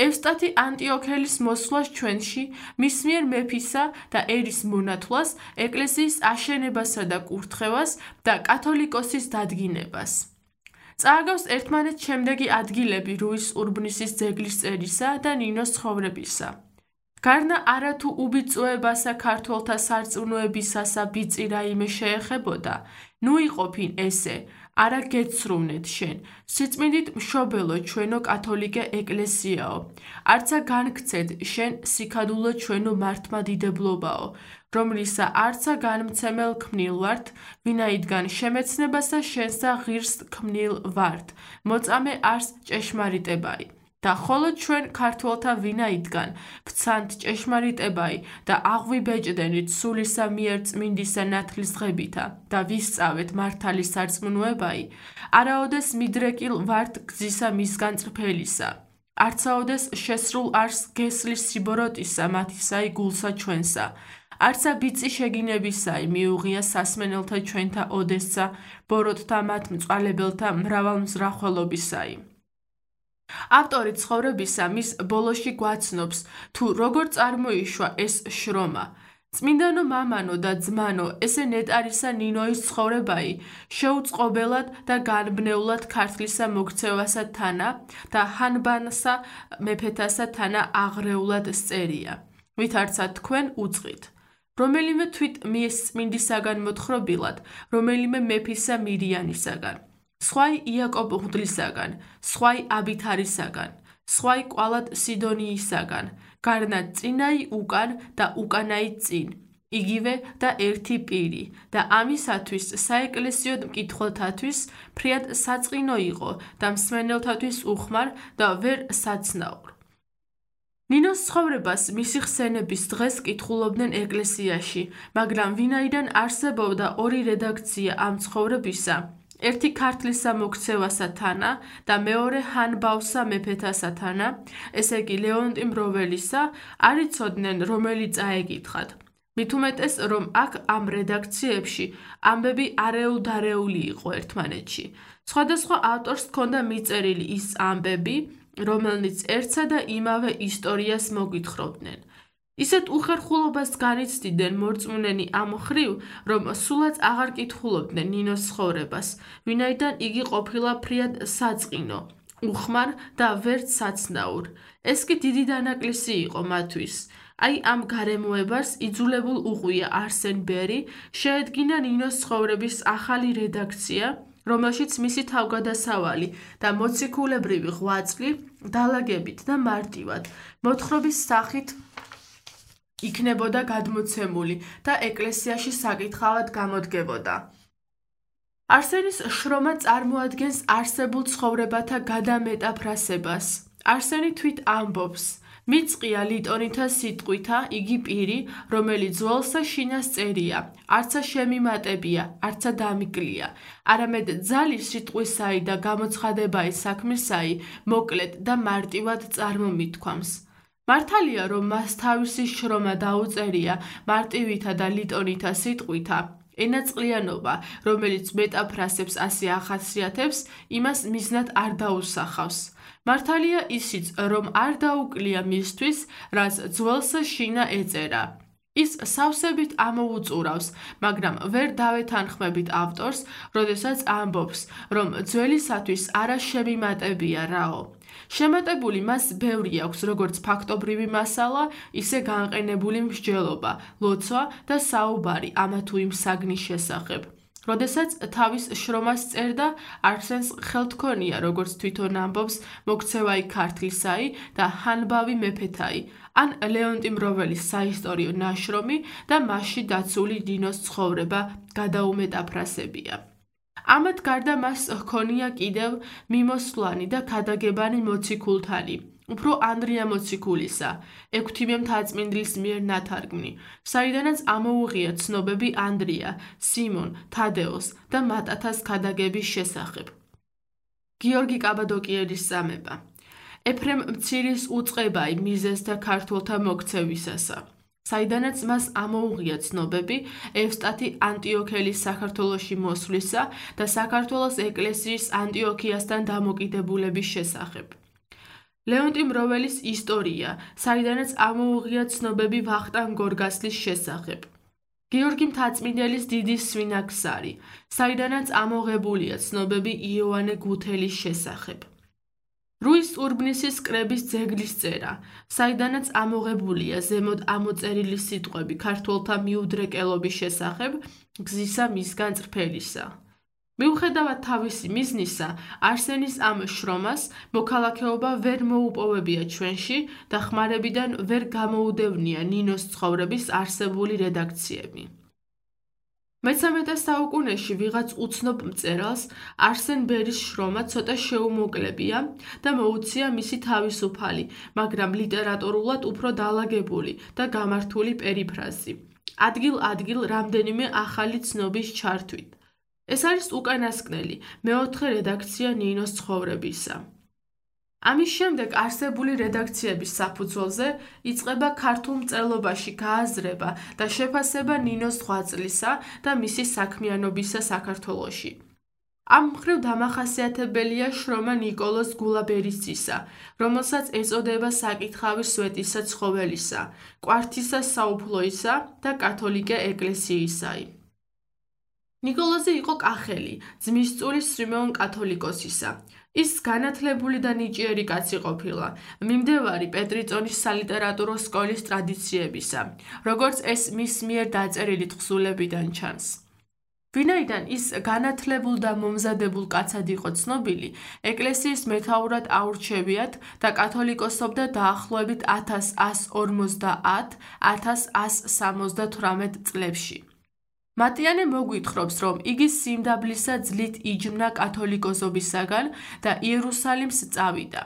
ევსტათი ანტიოქელის მოსვლას ჩვენში, მის მიერ მეფისა და ერის მონათვლას, ეკლესიის აშენებასა და კურთხევას და კათოლიკოსის დადგინებას. წააგავს ერთმანეთს შემდეგი ადგილები რუის ურბნისის ძეგლის წერისა და ნინოს ცხოვრებისა. გარნა არათუ უბიწოებასა ქართველთა სარწმუნოებისასა ბიწი რაიმე შეეხებოდა, ნუ იყოფინ ესე, არა გეცრუნეთ შენ, სიწმინდით მშობელო ჩვენო კათოლიკე ეკლესიაო, არცა განქცეთ შენ სიქადულო ჩვენო მართლმადიდებლობაო, რომლისა არცა განმცემელ ქმნილ ვართ, ვინაიდან შემეცნებასა შენსა ღირს ქმნილ ვართ, მოწამე არს ჭეშმარიტებაი. და ხოლო ჩვენ ქართველთა ვინაიდან ვცანთ ჭეშმარიტებაი და აღვიბეჭდენით სულისა მიერ წმინდისა ნათლის დღებითა და ვისწავეთ მართალი სარწმუნოებაი, არაოდეს მიდრეკილ ვართ გზისა მისგან წრფელისა, არცაოდეს შესრულ არს გესლის სიბოროტისა მათისაი გულსა ჩვენსა, არცა ბიწი შეგინებისაი მიუღია სასმენელთა ჩვენთა ოდესსა, ბოროტთა მათ მწვალებელთა მრავალ მზრახველობისაი. ავტორი ცხოვრებისა მის ბოლოში გვაცნობს, თუ როგორ წარმოიშვა ეს შრომა. წმინდანო მამანო და ძმანო, ესე ნეტარისა ნინოის ცხოვრებაი, შეუწყობელად და განბნეულად ქართლისა მოქცევასა თანა და ჰანბანსა მეფეთასა თანა აღრეულად სწერია, ვითარცა თქვენ უწყით. რომელიმე თვით მიეს წმინდისაგან მოთხრობილად, რომელიმე მეფისა მირიანისაგან. სხვაი იაკობ ღვდლისაგან, სხვაი აბითარისაგან, სხვაი კვალად სიდონიისაგან, გარნა წინაი უკან და უკანაი წინ, იგივე და ერთი პირი და ამისათვის საეკლესიოდ მკითხველთათვის ფრიად საწყინო იყო და მსმენელთათვის უხმარ და ვერ საცნაურ. ნინოს ცხოვრებას მისი ხსენების დღეს კითხულობდნენ ეკლესიაში, მაგრამ ვინაიდან არსებობდა ორი რედაქცია ამ ცხოვრებისა, ერთი ქართლისა მოქცევასა თანა და მეორე ჰანბავსა მეფეთასა თანა, ესე იგი ლეონტი მროველისა, არ იცოდნენ რომელი წაეკითხათ. მით უმეტეს, რომ აქ ამ რედაქციებში ამბები არეულ-დარეული იყო ერთმანეთში. სხვადასხვა ავტორს ჰქონდა მიწერილი ის ამბები, რომელნიც ერთსა და იმავე ისტორიას მოგვითხრობდნენ. ისეთ უხერხულობას განიცდიდნენ მორწმუნენი ამ მხრივ, რომ სულაც აღარ კითხულობდნენ ნინოს ცხოვრებას, ვინაიდან იგი ყოფილა ფრიად საწყინო, უხმარ და ვერც საცნაურ. ეს კი დიდი დანაკლისი იყო მათთვის. აი ამ გარემოებას იძულებულ უყვია არსენ ბერი შეედგინა ნინოს ცხოვრების ახალი რედაქცია, რომელშიც მისი თავგადასავალი და მოციქულებრივი ღვაწლი დალაგებით და მარტივად მოთხრობის სახით იქნებოდა გადმოცემული და ეკლესიაში საკითხავად გამოდგებოდა. არსენის შრომა წარმოადგენს არსებულ ცხოვრებათა გადამეტაფრასებას. არსენი თვით ამბობს, მიწყია ლიტონითა სიტყვითა იგი პირი, რომელიც ძველსა შინას წერია, არცა შემიმატებია, არცა დამიკლია, არამედ ძალის სიტყვისაი და გამოცხადებაი საქმისაი მოკლედ და მარტივად წარმომითქვამს. მართალია, რომ მას თავისი შრომა დაუწერია მარტივითა და ლიტონითა სიტყვითა, ენაწყლიანობა, რომელიც მეტაფრასებს ასე ახასიათებს, იმას მიზნად არ დაუსახავს. მართალია ისიც, რომ არ დაუკლია მისთვის, რაც ძველსა შინა ეწერა. ის სავსებით ამოუწურავს, მაგრამ ვერ დავეთანხმებით ავტორს, როდესაც ამბობს, რომ ძველისათვის არა შემიმატებია რაო. შემატებული მას ბევრი აქვს, როგორც ფაქტობრივი მასალა, ისე განყენებული მსჯელობა, ლოცვა და საუბარი ამა თუ იმ საგნის შესახებ. როდესაც თავის შრომას წერდა, არსენს ხელთქონია, როგორც თვითონ ამბობს, მოქცევაი ქართლისაი და ჰანბავი მეფეთაი, ან ლეონტი მროველის საისტორიო ნაშრომი და მასში დაცული ნინოს ცხოვრება გადაუმეტაფრასებია. ამათ გარდა მას ჰქონია კიდევ მიმოსვლანი და ქადაგებანი მოციქულთანი, უფრო ანდრია მოციქულისა, ექვთიმე მთაწმინდის მიერ ნათარგმნი, საიდანაც ამოუღია ცნობები ანდრია, სიმონ, თადეოს და მატათას ქადაგების შესახებ. გიორგი კაბადოკიელის სამება. ეფრემ მცირის უწყებაი მიზეზთა ქართველთა მოქცევისასა. საიდანაც მას ამოუღია ცნობები ევსტათი ანტიოქელის საქართველოში მოსვლისა და საქართველოს ეკლესიის ანტიოქიასთან დამოკიდებულების შესახებ. ლეონტი მროველის ისტორია, საიდანაც ამოუღია ცნობები ვახტანგ გორგასლის შესახებ. გიორგი მთაწმინდელის დიდი სვინაგსარი, საიდანაც ამოღებულია ცნობები იოანე გუთელის შესახებ. რუის ურბნისის კრების ძეგლის წერა, საიდანაც ამოღებულია ზემოთ ამოწერილი სიტყვები ქართველთა მიუდრეკელობის შესახებ, გზისა მისგან წრფელისა. მიუხედავად თავისი მიზნისა, არსენის ამ შრომას მოქალაქეობა ვერ მოუპოვებია ჩვენში და ხმარებიდან ვერ გამოუდევნია ნინოს ცხოვრების არსებული რედაქციები. მეცამეტე საუკუნეში ვიღაც უცნობ მწერალს არსენ ბერის შრომა ცოტა შეუმოკლებია და მოუცია მისი თავისუფალი, მაგრამ ლიტერატურულად უფრო დალაგებული და გამართული პერიფრაზი. ადგილ-ადგილ რამდენიმე ახალი ცნობის ჩართვით. ეს არის უკანასკნელი, მეოთხე რედაქცია ნინოს ცხოვრებისა. ამის შემდეგ არსებული რედაქციების საფუძველზე იწყება ქართულ მწერლობაში გააზრება და შეფასება ნინოს ღვაწლისა და მისი საქმიანობისა საქართველოში. ამ მხრივ დამახასიათებელია შრომა ნიკოლოზ გულაბერისძისა, რომელსაც ეწოდება საკითხავი სვეტისა ცხოველისა, კვართისა საუფლოისა და კათოლიკე ეკლესიისაი. ნიკოლოზი იყო კახელი, ძმისწულის სვიმეონ კათოლიკოსისა. ის განათლებული და ნიჭიერი კაცი ყოფილა, მიმდევარი პეტრიწონის სალიტერატურო სკოლის ტრადიციებისა, როგორც ეს მის მიერ დაწერილი თხზულებიდან ჩანს. ვინაიდან ის განათლებულ და მომზადებულ კაცად იყო ცნობილი, ეკლესიის მეთაურად აურჩევიათ და კათოლიკოსობდა დაახლოებით ათას ასი ორმოცდაათ - ათას ასი სამოცდათვრამეტ წლებში. მატიანე მოგვითხრობს, რომ იგი სიმდაბლისა ძლით იჯმნა კათოლიკოსობისაგან და იერუსალიმს წავიდა.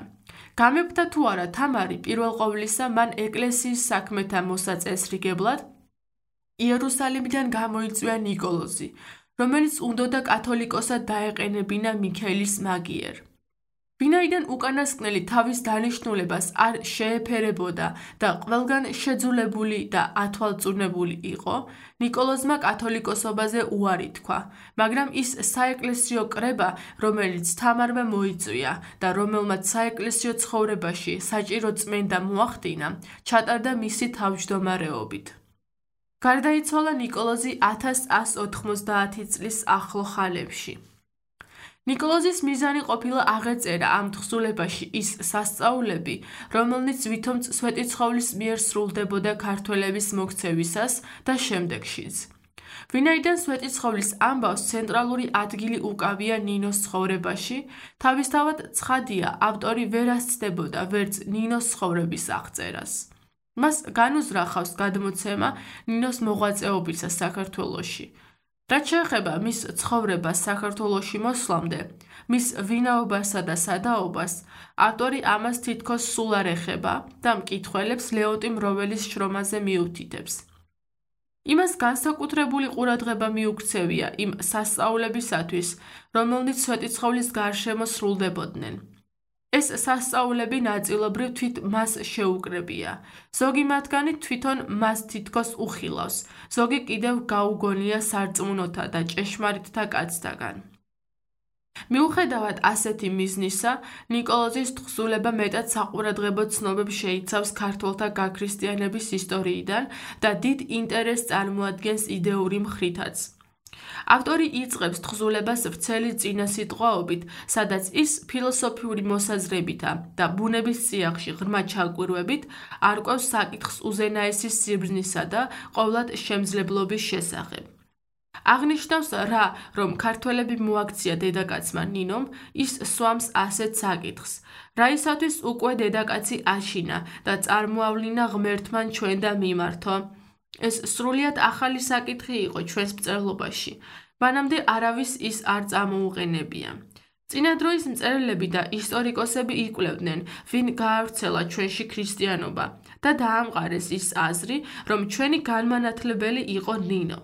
გამეფდა თუ არა თამარი, პირველ ყოვლისა მან ეკლესიის საქმეთა მოსაწესრიგებლად იერუსალიმიდან გამოიწვია ნიკოლოზი, რომელიც უნდოდა კათოლიკოსად დაეყენებინა მიქელის მაგიერ. ვინაიდან უკანასკნელი თავის დანიშნულებას არ შეეფერებოდა და ყველგან შეძულებული და ათვალწუნებული იყო, ნიკოლოზმა კათოლიკოსობაზე უარი თქვა, მაგრამ ის საეკლესიო კრება, რომელიც თამარმა მოიწვია და რომელმაც საეკლესიო ცხოვრებაში საჭირო წმენდა მოახდინა, ჩატარდა მისი თავმჯდომარეობით. გარდაიცვალა ნიკოლოზი ათას ასი ოთხმოცდაათი წლის ახლო ხანებში. ნიკოლოზის მიზანი ყოფილა აღეწერა ამ თხზულებაში ის სასწაულები, რომელნიც ვითომც სვეტიცხოვლის მიერ სრულდებოდა ქართველების მოქცევისას და შემდეგშიც. ვინაიდან სვეტიცხოვლის ამბავს ცენტრალური ადგილი უკავია ნინოს ცხოვრებაში, თავისთავად ცხადია, ავტორი ვერ ასწდებოდა ვერც ნინოს ცხოვრების აღწერას. მას განუზრახავს გადმოცემა ნინოს მოღვაწეობისა საქართველოში. რაც შეეხება მის ცხოვრებას საქართველოში მოსვლამდე, მის ვინაობასა და სადაობას, ავტორი ამას თითქოს სულ არ ეხება და მკითხველებს ლეონტი მროველის შრომაზე მიუთითებს. იმას განსაკუთრებული ყურადღება მიუქცევია იმ სასწაულებისათვის, რომელნიც სვეტიცხოვლის გარშემო სრულდებოდნენ. ეს სასწაულები ნაწილობრივ თვით მას შეუკრებია. ზოგი მათგანი თვითონ მას თითქოს უხილავს, ზოგი კიდევ გაუგონია სარწმუნოთა და ჭეშმარიტთა კაცთაგან. მიუხედავად ასეთი მიზნისა, ნიკოლოზის თხზულება მეტად საყურადღებო ცნობებს შეიცავს ქართველთა გაქრისტიანების ისტორიიდან და დიდ ინტერესს წარმოადგენს იდეური მხრითაც. ავტორი იწყებს თხზულებას ვრცელი წინასიტყვაობით, სადაც ის ფილოსოფიური მოსაზრებითა და ბუნების წიაღში ღრმა ჩაკვირვებით არკვევს საკითხს უზენაესის სიბრძნისა და ყოვლად შემძლებლობის შესახებ. აღნიშნავს რა, რომ ქართველები მოაქცია დედაკაცმა ნინომ, ის სვამს ასეთ საკითხს. რაისათვის უკვე დედაკაცი აშინა და წარმოავლინა ღმერთმან ჩვენ და მიმართო. ეს სრულიად ახალი საკითხი იყო ჩვენს მწერლობაში. მანამდე არავის ის არ წამოუყენებია. წინა დროის მწერლები და ისტორიკოსები იკვლევდნენ, ვინ გაავრცელა ჩვენში ქრისტიანობა და დაამყარეს ის აზრი, რომ ჩვენი განმანათლებელი იყო ნინო.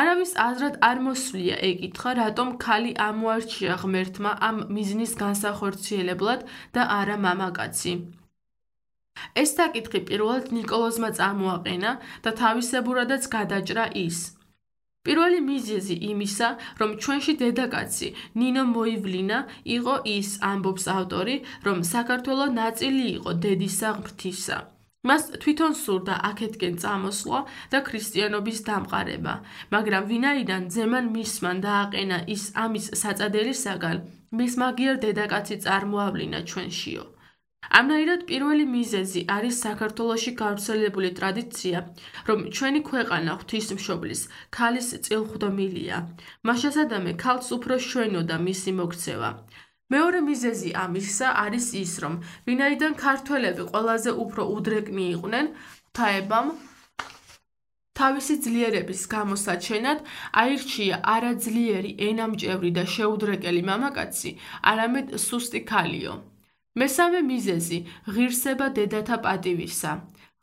არავის აზრად არ მოსვლია ეკითხა, რატომ ქალი ამოარჩია ღმერთმა ამ მიზნის განსახორციელებლად და არა მამაკაცი. ეს საკითხი პირველად ნიკოლოზმა წამოაყენა და თავისებურადაც გადაჭრა ის. პირველი მიზეზი იმისა, რომ ჩვენში დედაკაცი ნინო მოივლინა, იყო ის, ამბობს ავტორი, რომ საქართველო ნაწილი იყო დედისა ღმრთისა. მას თვითონ სურდა აქეთკენ წამოსვლა და ქრისტიანობის დამყარება, მაგრამ ვინაიდან ძემან მისმან დააყენა ის ამის საწადებისაგან, მის მაგიერ დედაკაცი წარმოავლინა ჩვენშიო. ამნაირად პირველი მიზეზი არის საქართველოში გავრცელებული ტრადიცია, რომ ჩვენი ქვეყანა ღვთისმშობლის, ქალის წილხვდომილია. მაშასადამე ქალს უფრო შვენოდა მისი მოქცევა. მეორე მიზეზი ამისა არის ის, რომ ვინაიდან ქართველები ყველაზე უფრო უდრეკნი იყვნენ, ღვთაებამ თავისი ძლიერების გამოსაჩენად აირჩია არა ძლიერი, ენამჭევრი და შეუდრეკელი მამაკაცი, არამედ სუსტი ქალიო. მესამე მიზეზი ღირსება დედათა პატივისა.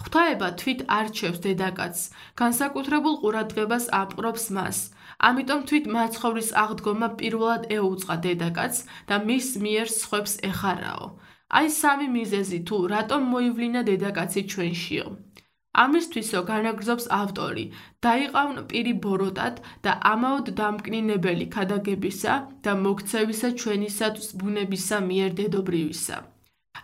ღვთაება თვით არჩევს დედაკაცს, განსაკუთრებულ ყურადღებას აპყრობს მას. ამიტომ თვით მაცხოვრის აღდგომა პირველად ეუწყა დედაკაცს და მის მიერ სხვებს ეხარაო. აი სამი მიზეზი თუ რატომ მოივლინა დედაკაცი ჩვენშიო. ამისთვისო განაგრძობს ავტორი, დაიყავნ პირი ბოროტად და ამაოდ დამკნინებელი ქადაგებისა და მოქცევისა ჩვენისათვის ბუნებისა მიერ დედობრივისა.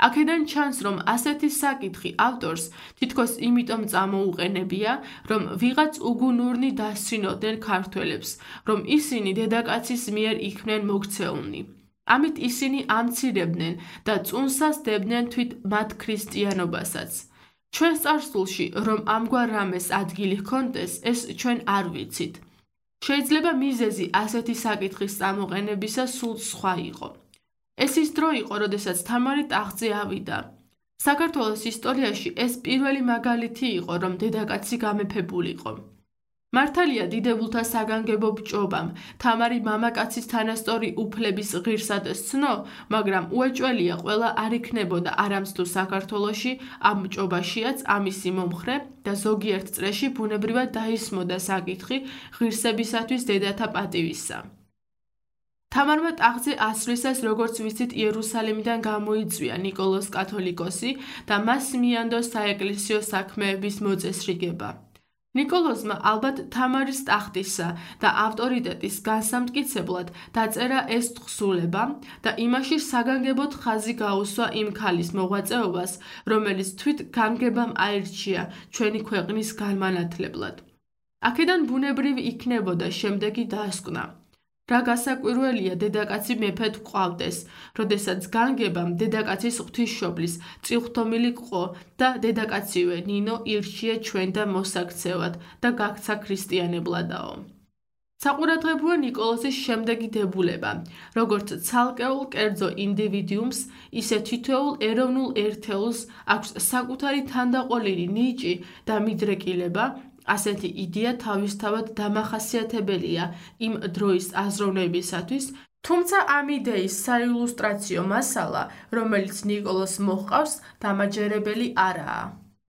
აქედან ჩანს, რომ ასეთი საკითხი ავტორს თითქოს იმიტომ წამოუყენებია, რომ ვიღაც უგუნურნი დასცინოდნენ ქართველებს, რომ ისინი დედაკაცის მიერ იქნენ მოქცეულნი. ამით ისინი ამცირებდნენ და წუნსას დებდნენ თვით მათ ქრისტიანობასაც. ჩვენ წარსულში, რომ ამგვარ რამეს ადგილი ჰქონდეს, ეს ჩვენ არ ვიცით. შეიძლება მიზეზი ასეთი საკითხის წამოყენებისა სულ სხვა იყო. ეს ის დრო იყო, როდესაც თამარი ტახტზე ავიდა. საქართველოს ისტორიაში ეს პირველი მაგალითი იყო, რომ დედაკაცი გამეფებულიყო. მართალია დიდებულთა საგანგებო ბჭობამ თამარი მამაკაცის თანასწორი უფლების ღირსად სცნო, მაგრამ უეჭველია ყველა არ იქნებოდა არამც თუ საქართველოში ამ ბჭობაშიაც ამისი მომხრე და ზოგიერთ წრეში ბუნებრივად დაისმოდა საკითხი ღირსებისათვის დედათა პატივისა. თამარმა ტახტზე ასვლისას, როგორც ვიცით, იერუსალიმიდან გამოიწვია ნიკოლოზ კათოლიკოსი და მას მიანდო საეკლესიო საქმეების მოწესრიგება. ნიკოლოზმა ალბათ თამარის ტახტისა და ავტორიტეტის განსამტკიცებლად დაწერა ეს თხზულება და იმაში საგანგებოდ ხაზი გაუსვა იმ ქალის მოღვაწეობას, რომელიც თვით განგებამ აირჩია ჩვენი ქვეყნის განმანათლებლად. აქედან ბუნებრივი იქნებოდა შემდეგი დასკვნა. რა გასაკვირველია, დედაკაცი მეფედ გვყავდეს, როდესაც განგებამ დედაკაცის ღვთისმშობლის წილხვდომილი გყო და დედაკაცივე ნინო ირჩია ჩვენდა მოსაქცევად და გაქცა ქრისტიანებლადაო. საყურადღებოა ნიკოლოზის შემდეგი დებულება, როგორც ცალკეულ კერძო ინდივიდიუმს, ისე თითოეულ ეროვნულ ერთეულს აქვს საკუთარი თანდაყოლილი ნიჭი და მიდრეკილება, ასეთი იდეა თავისთავად დამახასიათებელია იმ დროის აზროვნებისათვის, თუმცა ამ იდეის საილუსტრაციო მასალა, რომელიც ნიკოლოზს მოჰყავს, დამაჯერებელი არაა.